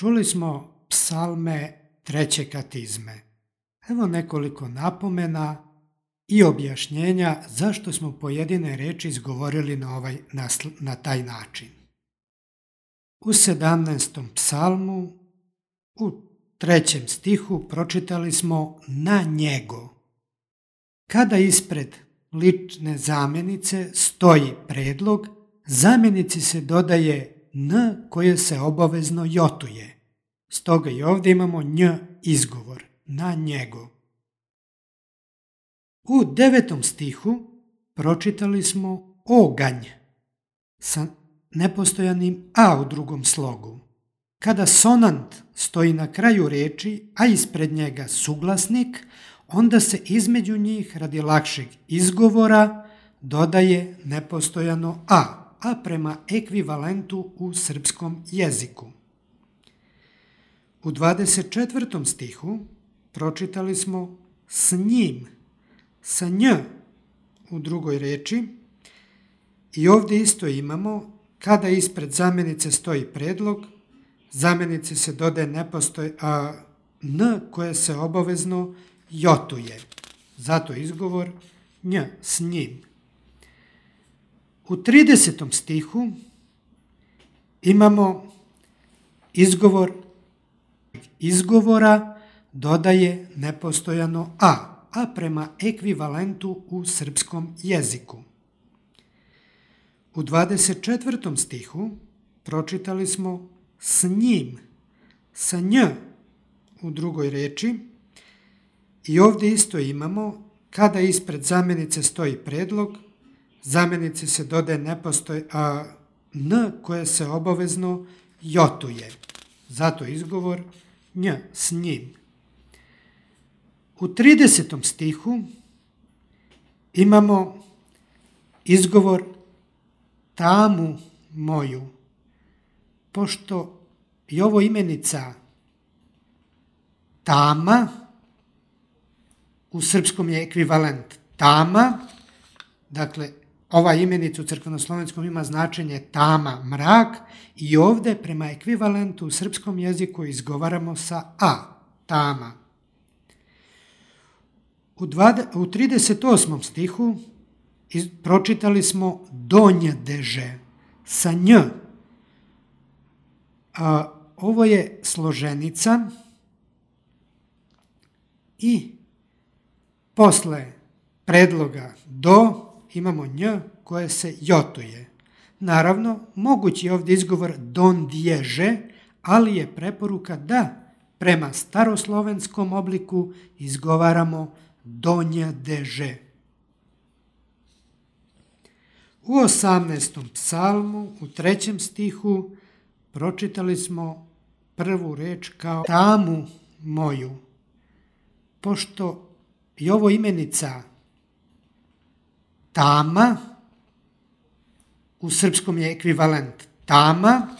Čuli smo psalme treće katizme. Evo nekoliko napomena i objašnjenja zašto smo pojedine reči izgovorili na taj način. U 17. psalmu, u 3. stihu pročitali smo na njego. Kada ispred lične zamjenice stoji predlog, zamjenici se dodaje n koje se obavezno jotuje. Stoga i ovdje imamo nj izgovor, na njego. U 9. stihu pročitali smo oganj sa nepostojanim a u drugom slogu. Kada sonant stoji na kraju riječi, a ispred njega suglasnik, onda se između njih radi lakšeg izgovora dodaje nepostojano a prema ekvivalentu u srpskom jeziku. U 24. stihu pročitali smo s njim, sa nj u drugoj riječi i ovdje isto imamo kada ispred zamjenice stoji predlog, zamjenici se dodaje n koje se obavezno jotuje. Zato izgovor nj, s njim. U 30. stihu imamo izgovora dodaje nepostojano a prema ekvivalentu u srpskom jeziku. U 24. stihu pročitali smo s njim, sa nj u drugoj riječi i ovdje isto imamo kada ispred zamjenice stoji predlog, zamjenici se dodaje n koje se obavezno jotuje. Zato izgovor nj, s njim. U 30. stihu imamo izgovor tamu moju, pošto je ovo imenica tama, u srpskom je ekvivalent tama, dakle ova imenica u crkvenoslovenskom ima značenje tama, mrak i ovdje prema ekvivalentu u srpskom jeziku izgovaramo sa a, tama. U 38. stihu pročitali smo donjdeže sa nj. Ovo je složenica i posle predloga do imamo nj koje se jotuje. Naravno, mogući je ovdje izgovor dondježe, ali je preporuka da prema staroslovenskom obliku izgovaramo donjdeže. U 18. psalmu, u 3. stihu, pročitali smo prvu reč kao tamu moju, pošto je ovo imenica tama, u srpskom je ekvivalent tama,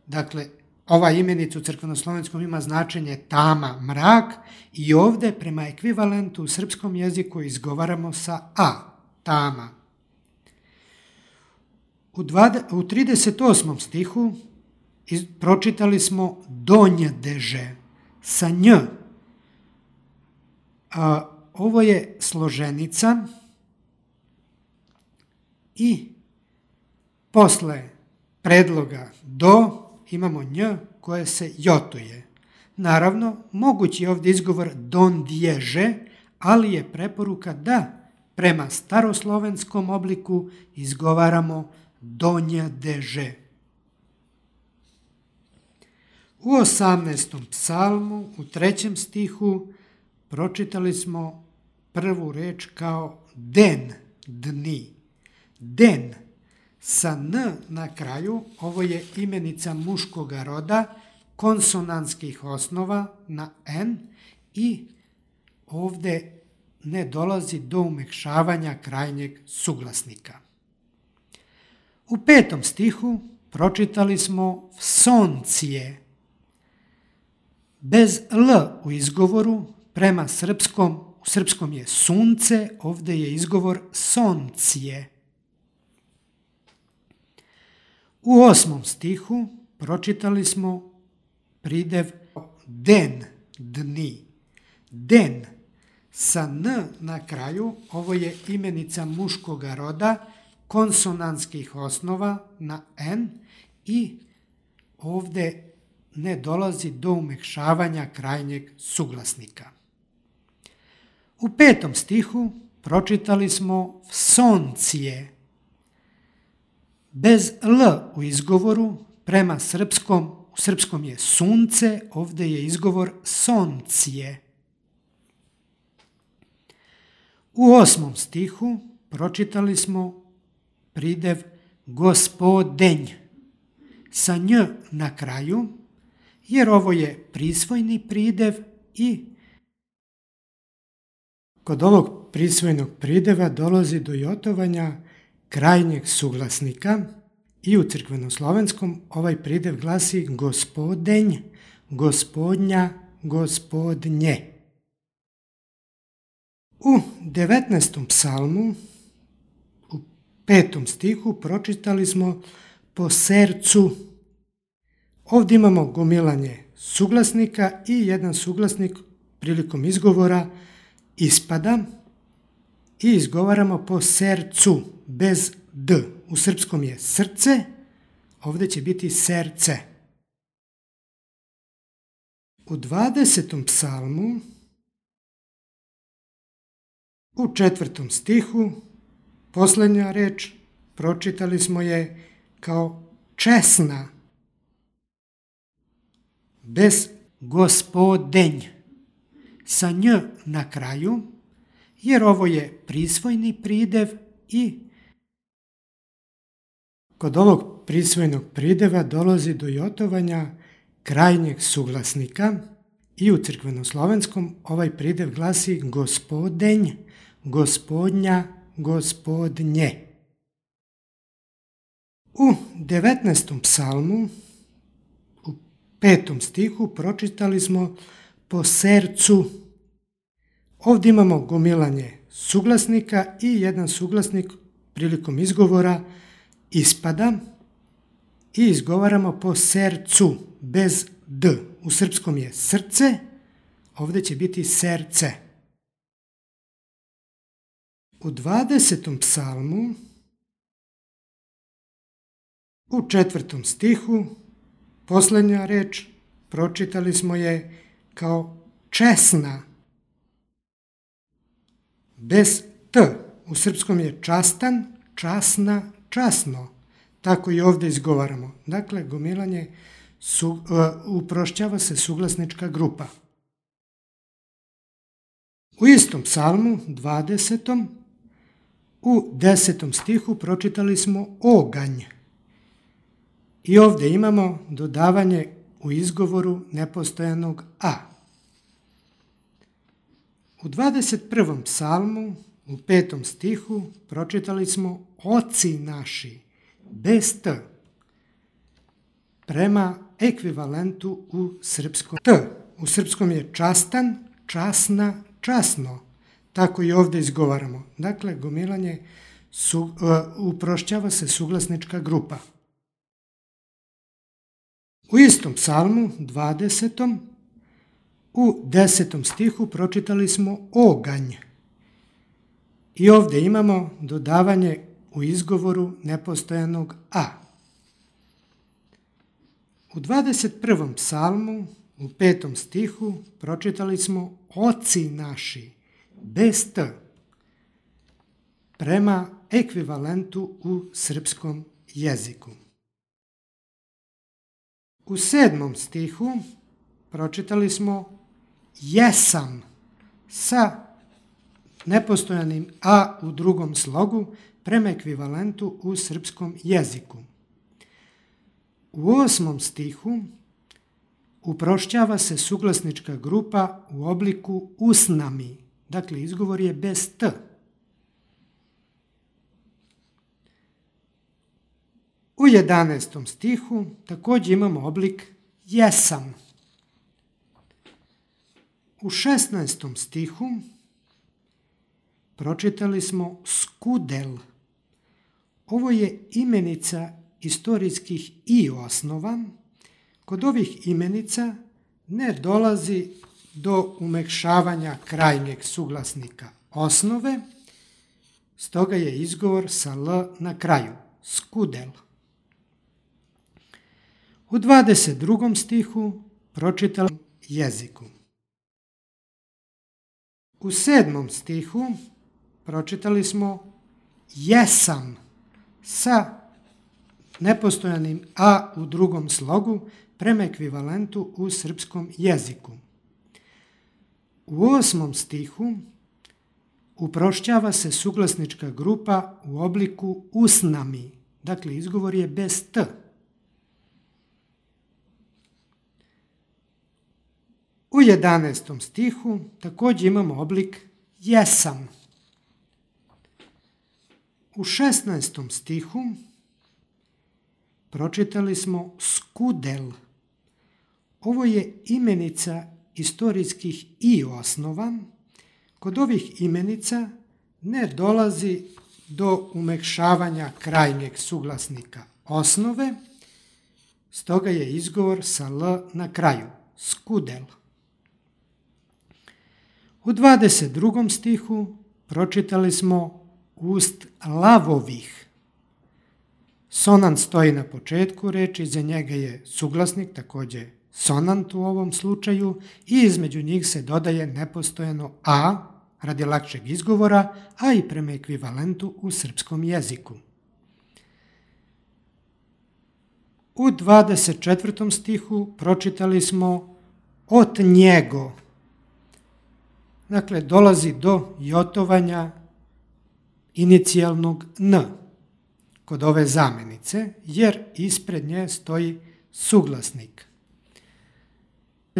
dakle ova imenica u crkvenoslovenskom ima značenje tama, mrak i ovdje prema ekvivalentu u srpskom jeziku izgovaramo sa a, tama. U 38. stihu pročitali smo donjdeže sa nj. Ovo je složenica i posle predloga do imamo nj koje se jotuje. Naravno, mogući je ovdje izgovor dondježe, ali je preporuka da prema staroslovenskom obliku izgovaramo donjdeže. U 18. psalmu, u 3. stihu, pročitali smo prvu reč kao den, dni. Den, sa n na kraju, ovo je imenica muškoga roda, konsonantskih osnova na n i ovdje ne dolazi do umekšavanja krajnjeg suglasnika. U 5. stihu pročitali smo soncije. Bez l u izgovoru, prema srpskom je sunce, ovdje je izgovor soncije. U 8. stihu pročitali smo pridev den, dni. Den sa n na kraju, ovo je imenica muškoga roda, konsonantskih osnova na n i ovde ne dolazi do umekšavanja krajnjeg suglasnika. U 5. stihu pročitali smo soncije. Bez l u izgovoru, prema srpskom, u srpskom je sunce, ovde je izgovor soncije. U 8. stihu pročitali smo pridev gospodenj sa nj na kraju, jer ovo je prisvojni pridev i kod ovog prisvojnog prideva dolazi do jotovanja krajnjeg suglasnika i u crkvenoslovenskom ovaj pridev glasi gospodenj, gospodnja, gospodnje. U 19. psalmu, u 5. stihu, pročitali smo po sercu. Ovdje imamo gomilanje suglasnika i jedan suglasnik prilikom izgovora ispada i izgovaramo po sercu bez d. U srpskom je srce, ovdje će biti serce. U 20. psalmu, u 4. stihu, posljednja reč, pročitali smo je kao česna, bez gospodenj, sa nj na kraju, jer ovo je prisvojni pridev i kod ovog prisvojnog prideva dolazi do jotovanja krajnjeg suglasnika i u crkvenoslovenskom ovaj pridev glasi gospodenj, gospodnja, gospodnje. U 19. psalmu, u 5. stihu, pročitali smo po sercu. Ovdje imamo gomilanje suglasnika i jedan suglasnik prilikom izgovora ispada i izgovaramo po sercu bez d. U srpskom je srce, ovdje će biti serce. U 20. psalmu, u 4. stihu, posljednja reč, pročitali smo je kao česna, bez t. U srpskom je častan, časna, časno. Tako i ovdje izgovaramo. Dakle, gomilanje uprošćava se suglasnička grupa. U istom psalmu, 20. u 10. stihu pročitali smo oganj. I ovdje imamo dodavanje u izgovoru nepostojanog a. U 21. psalmu, u 5. stihu, pročitali smo oci naši, bez t, prema ekvivalentu u srpskom. T u srpskom je častan, časna, časno. Tako i ovdje izgovaramo. Dakle, gomilanje uprošćava se suglasnička grupa. U istom psalmu, 20. u 10. stihu pročitali smo oganj. I ovdje imamo dodavanje u izgovoru nepostojanog a. U 21. psalmu, u 5. stihu, pročitali smo oci naši, bez t, prema ekvivalentu u srpskom jeziku. U 7. stihu pročitali smo jesam sa nepostojanim a u drugom slogu prema ekvivalentu u srpskom jeziku. U 8. stihu uprošćava se suglasnička grupa u obliku usnami, dakle izgovor je bez t. U 11. stihu također imamo oblik jesam. U 16. stihu pročitali smo skudel. Ovo je imenica istorijskih i osnova Kod ovih imenica ne dolazi do umekšavanja krajnjeg suglasnika osnove, stoga je izgovor sa L na kraju, skudel. U 22. stihu pročitali jeziku. U 7. stihu pročitali smo jesam sa nepostojanim a u drugom slogu prema ekvivalentu u srpskom jeziku. U 8. stihu uprošćava se suglasnička grupa u obliku usnami, dakle izgovor je bez t. U 11. stihu također imamo oblik jesam. U 16. stihu pročitali smo skudel. Ovo je imenica istorijskih i osnova. Kod ovih imenica ne dolazi do umekšavanja krajnjeg suglasnika osnove, stoga je izgovor sa L na kraju, skudel. U 22. stihu pročitali smo ust lavovih. Sonant stoji na početku reči, iza njega je suglasnik, također sonant u ovom slučaju, i između njih se dodaje nepostojano a radi lakšeg izgovora, a i prema ekvivalentu u srpskom jeziku. U 24. stihu pročitali smo od njego. Dakle, dolazi do jotovanja inicijalnog n kod ove zamenice, jer ispred nje stoji suglasnik.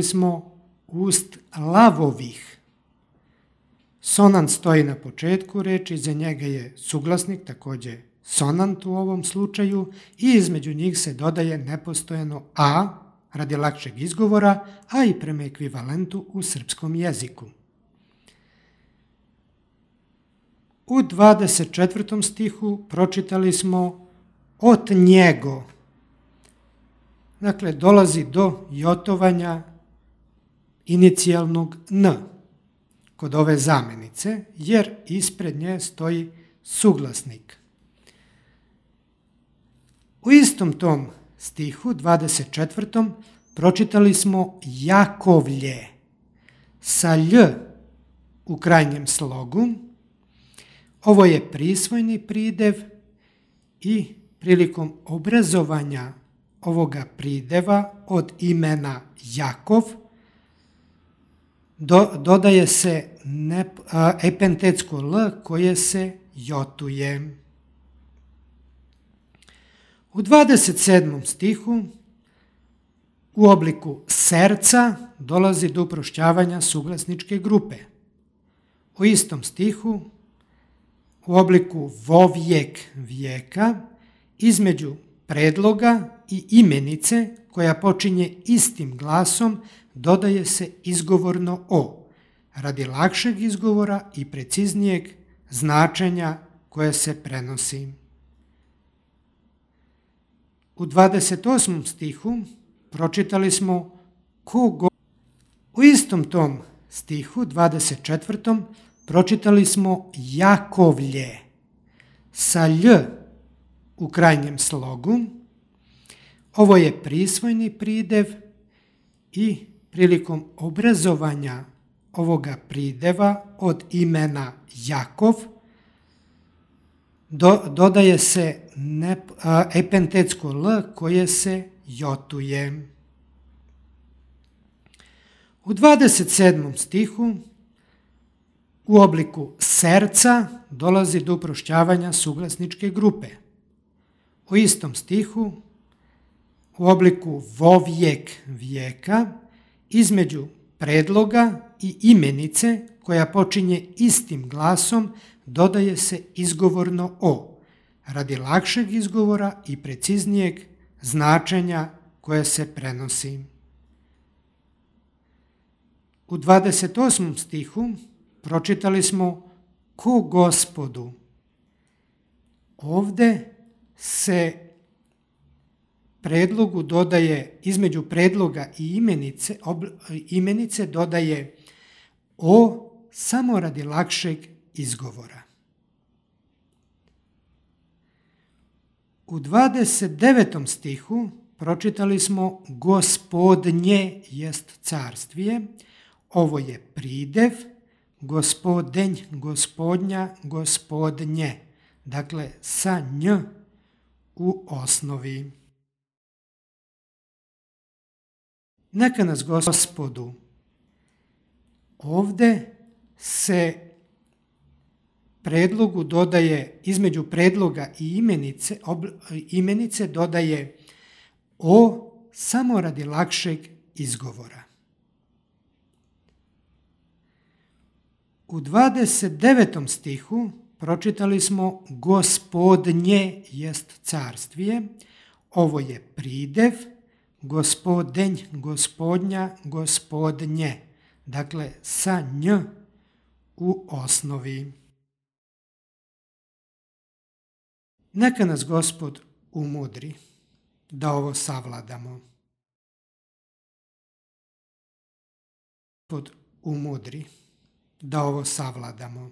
Smo ust lavovih. Sonant stoji na početku reči, iza njega je suglasnik, također sonant u ovom slučaju, i između njih se dodaje nepostojano a radi lakšeg izgovora, a i prema ekvivalentu u srpskom jeziku. U 24. stihu pročitali smo od njego. Dakle, dolazi do jotovanja inicijalnog n kod ove zamenice, jer ispred nje stoji suglasnik. U istom tom stihu, 24. pročitali smo Jakovlje sa lj u krajnjem slogu. Ovo je prisvojni pridev i prilikom obrazovanja ovoga prideva od imena Jakov dodaje se epentetsko l koje se jotuje. U 27. stihu u obliku serca dolazi do uprošćavanja suglasničke grupe. U istom stihu u obliku vovjek vijeka između predloga i imenice koja počinje istim glasom dodaje se izgovorno o, radi lakšeg izgovora i preciznijeg značenja koje se prenosi. U 28. stihu pročitali smo kogo. U istom tom stihu, 24. pročitali smo Jakovlje sa lj u krajnjem slogu. Ovo je prisvojni pridev i prilikom obrazovanja ovoga prideva od imena Jakov dodaje se epentetsko l koje se jotuje. U 27. stihu u obliku serca dolazi do uprošćavanja suglasničke grupe. U istom stihu u obliku vovjek vijeka između predloga i imenice koja počinje istim glasom dodaje se izgovorno o, radi lakšeg izgovora i preciznijeg značenja koje se prenosi. U 28. stihu pročitali smo ko Gospodu. Ovde se predlogu dodaje, između predloga i imenice dodaje o samo radi lakšeg izgovora. U 29. stihu pročitali smo gospodnje jest carstvije. Ovo je pridev, gospodenj, gospodnja, gospodnje. Dakle, sa nj u osnovi. Neka nas Gospodu. Ovde se predlogu dodaje, između predloga i imenice dodaje o samo radi lakšeg izgovora. U 29. stihu pročitali smo gospodnje jest carstvije. Ovo je pridev, gospodenj, gospodnja, gospodnje. Dakle, sa nj u osnovi. Neka nas Gospod umudri da ovo savladamo. Gospod umudri da ovo savladamo.